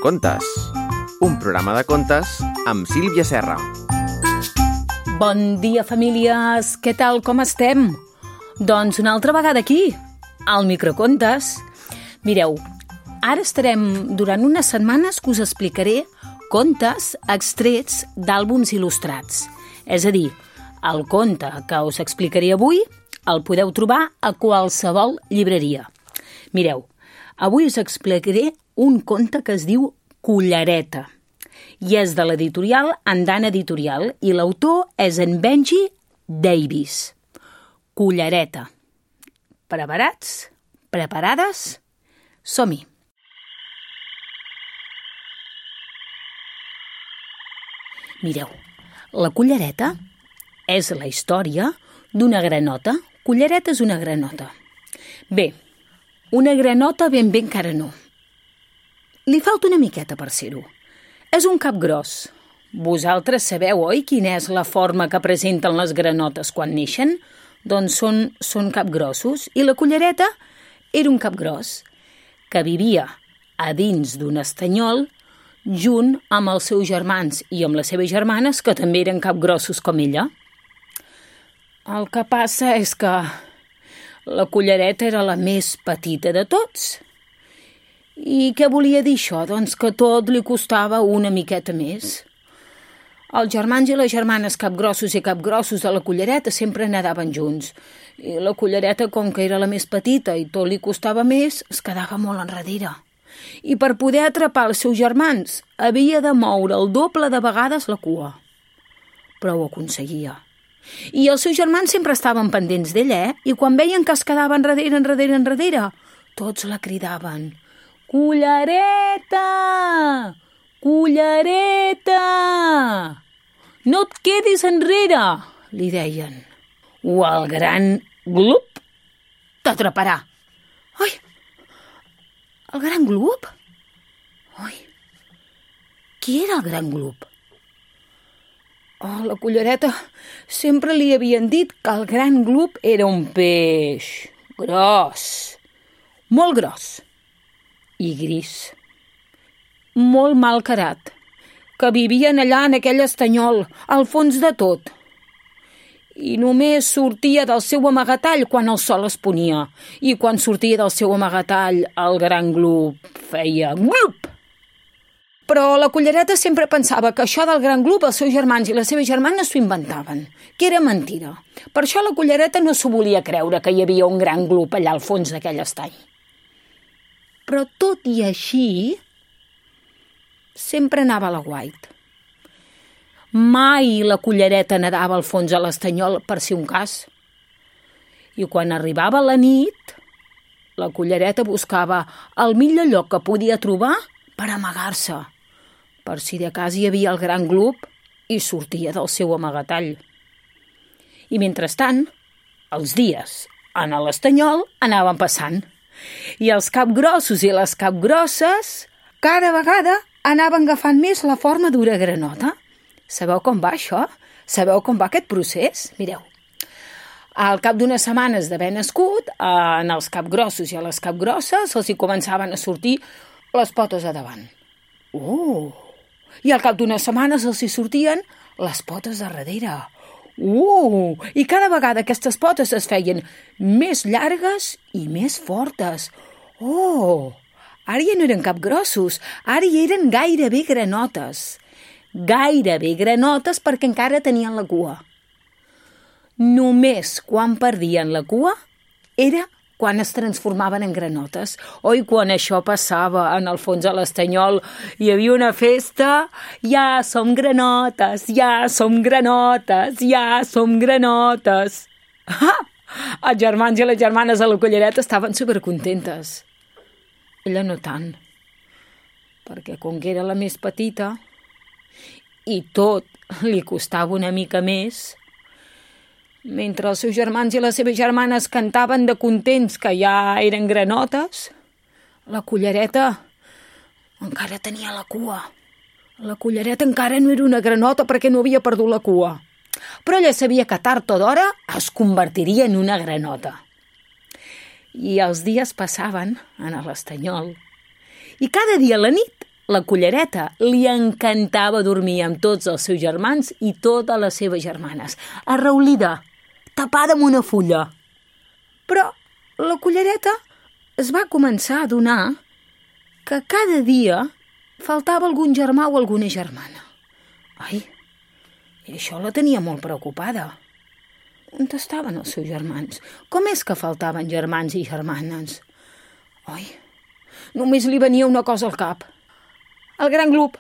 Microcontes, un programa de contes amb Sílvia Serra. Bon dia, famílies! Què tal, com estem? Doncs una altra vegada aquí, al Microcontes. Mireu, ara estarem durant unes setmanes que us explicaré contes extrets d'àlbums il·lustrats. És a dir, el conte que us explicaré avui el podeu trobar a qualsevol llibreria. Mireu, avui us explicaré un conte que es diu Cullereta i és de l'editorial Andana Editorial i l'autor és en Benji Davis. Cullereta. Preparats? Preparades? Som-hi! Mireu, la cullereta és la història d'una granota. Cullereta és una granota. Bé, una granota ben bé encara no. Li falta una miqueta per ser-ho. És un capgròs. Vosaltres sabeu, oi, quina és la forma que presenten les granotes quan neixen? Doncs són capgrossos. I la cullereta era un capgros que vivia a dins d'un estanyol junt amb els seus germans i amb les seves germanes, que també eren capgrossos com ella. El que passa és que la cullereta era la més petita de tots. I què volia dir això? Doncs que tot li costava una miqueta més. Els germans i les germanes capgrossos i capgrossos de la cullereta sempre nadaven junts. I la cullereta, com que era la més petita i tot li costava més, es quedava molt enrere. I per poder atrapar els seus germans havia de moure el doble de vegades la cua. Però ho aconseguia. I els seus germans sempre estaven pendents d'ella, I quan veien que es quedava enrere, tots la cridaven. Cullereta! Cullereta! No et quedis enrere, li deien. O el gran Glup t'atraparà. Ai! El gran Glup? Ai! Qui era el gran Glup? Oh, la cullereta sempre li havien dit que el gran Glup era un peix gros, molt gros i gris, molt malcarat, que vivien allà en aquell estanyol, al fons de tot. I només sortia del seu amagatall quan el sol es ponia, i quan sortia del seu amagatall el gran Glup feia glup. Però la cullereta sempre pensava que això del gran Glup els seus germans i les seves germanes s'ho inventaven, que era mentira. Per això la cullereta no s'ho volia creure que hi havia un gran Glup allà al fons d'aquell estany. Però tot i així, sempre anava a l'aguait. Mai la cullereta nedava al fons a l'estanyol per si un cas. I quan arribava la nit, la cullereta buscava el millor lloc que podia trobar per amagar-se, per si de cas hi havia el gran Glup i sortia del seu amagatall. I mentrestant, els dies en l'estanyol anaven passant. I els capgrossos i les capgrosses cada vegada anaven agafant més la forma d'una granota. Sabeu com va això? Sabeu com va aquest procés? Mireu, al cap d'unes setmanes d'haver nascut, en els capgrossos i a les capgrosses els hi començaven a sortir les potes a davant. I al cap d'unes setmanes els hi sortien les potes a darrere. I cada vegada aquestes potes es feien més llargues i més fortes. Ara ja no eren capgrossos, ara ja eren gairebé granotes. Gairebé granotes perquè encara tenien la cua. Només quan perdien la cua era quan es transformaven en granotes. I quan això passava en el fons de l'estanyol, hi havia una festa. Ja som granotes, ja som granotes, ja som granotes. Els germans i les germanes de la cullereta estaven supercontentes. Ella no tant, perquè com que era la més petita i tot li costava una mica més, mentre els seus germans i les seves germanes cantaven de contents que ja eren granotes, la cullereta encara tenia la cua. La cullereta encara no era una granota perquè no havia perdut la cua. Però ella sabia que tard o d'hora es convertiria en una granota. I els dies passaven en l'estanyol i cada dia a la nit La cullereta li encantava dormir amb tots els seus germans i totes les seves germanes, arraulida, tapada amb una fulla. Però la cullereta es va començar a adonar que cada dia faltava algun germà o alguna germana. Ai, i això la tenia molt preocupada. On estaven els seus germans? Com és que faltaven germans i germanes? Ai, només li venia una cosa al cap. El gran glob.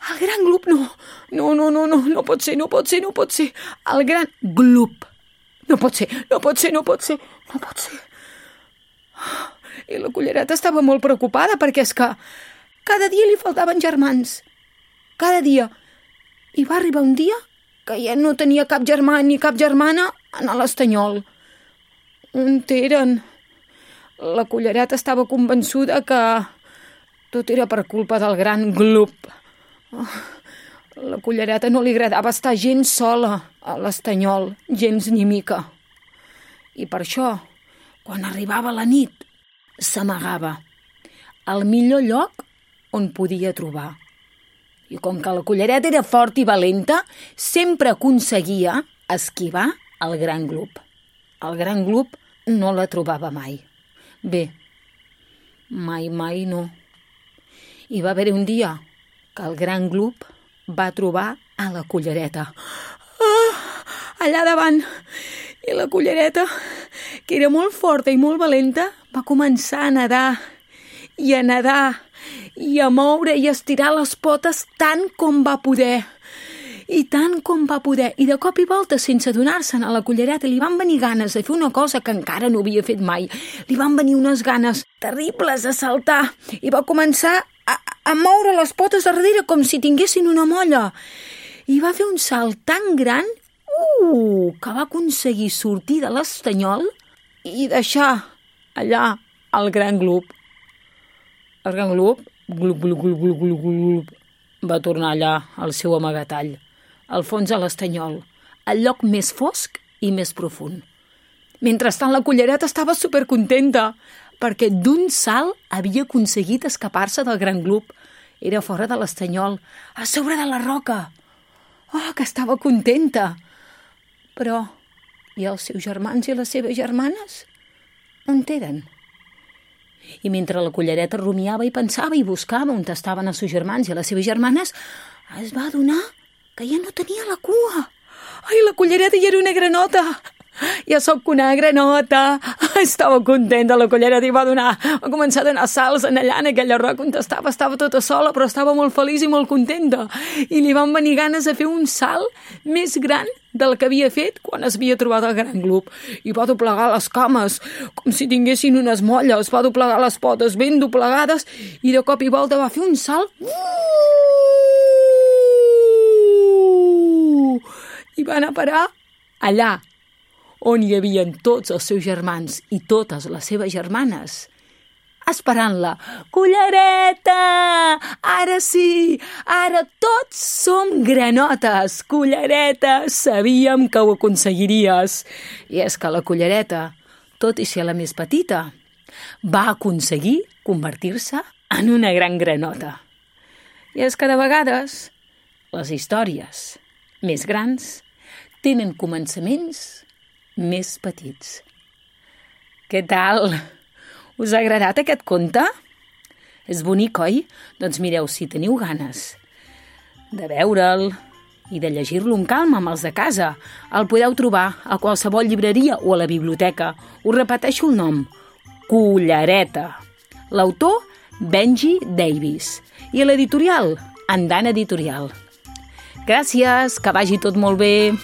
El gran glob, no. No pot ser. El gran glob. No pot ser. I la cullereta estava molt preocupada perquè és que cada dia li faltaven germans. Cada dia. I va arribar un dia que ja no tenia cap germà ni cap germana en l'estanyol. On eren? La cullereta estava convençuda que tot era per culpa del gran glob. La cullereta no li agradava estar gens sola a l'estanyol, gens ni mica. I per això, quan arribava la nit, s'amagava al millor lloc on podia trobar. I com que la cullereta era forta i valenta, sempre aconseguia esquivar el gran glob. El gran glob no la trobava mai. Bé, mai no. I va haver un dia que el gran glob va trobar a la cullereta. Allà davant. I la cullereta, que era molt forta i molt valenta, va començar a nedar i a moure i a estirar les potes tant com va poder. I de cop i volta, sense adonar-se'n, a la cullereta li van venir ganes de fer una cosa que encara no havia fet mai. Li van venir unes ganes terribles de saltar i va començar a moure les potes darrere com si tinguessin una molla. I va fer un salt tan gran que va aconseguir sortir de l'estanyol i deixar allà el gran glob. El gran glob, glub, va tornar allà al seu amagatall, al fons de l'estanyol, al lloc més fosc i més profund. Mentrestant, la cullereta estava supercontenta perquè d'un salt havia aconseguit escapar-se del gran glob. Era fora de l'estanyol, a sobre de la roca. Que estava contenta! Però, i els seus germans i les seves germanes? On eren? I mentre la cullereta rumiava i pensava i buscava on estaven els seus germans i les seves germanes, es va adonar que ja no tenia la cua. Ai, la cullereta ja era una granota! Ja sóc una granota! Estava contenta la cullereta i va començar a donar salts allà en aquella roca on estava tota sola, però estava molt feliç i molt contenta. I li van venir ganes de fer un salt més gran del que havia fet quan es havia trobat el gran glob. I va doblegar les cames, com si tinguessin unes molles, va doblegar les potes ben doblegades i de cop i volta va fer un salt i va anar a parar allà on hi havia tots els seus germans i totes les seves germanes, esperant-la. Cullereta! Ara sí! Ara tots som granotes! Cullereta! Sabíem que ho aconseguiries! I és que la cullereta, tot i ser la més petita, va aconseguir convertir-se en una gran granota. I és que de vegades les històries més grans tenen començaments més petits. Què tal? Us ha agradat aquest conte? És bonic, oi? Doncs mireu, si teniu ganes de veure'l i de llegir-lo amb calma amb els de casa, el podeu trobar a qualsevol llibreria o a la biblioteca. Us repeteixo el nom: Cullereta. L'autor, Benji Davis. I l'editorial, Andana Editorial. Gràcies, que vagi tot molt bé.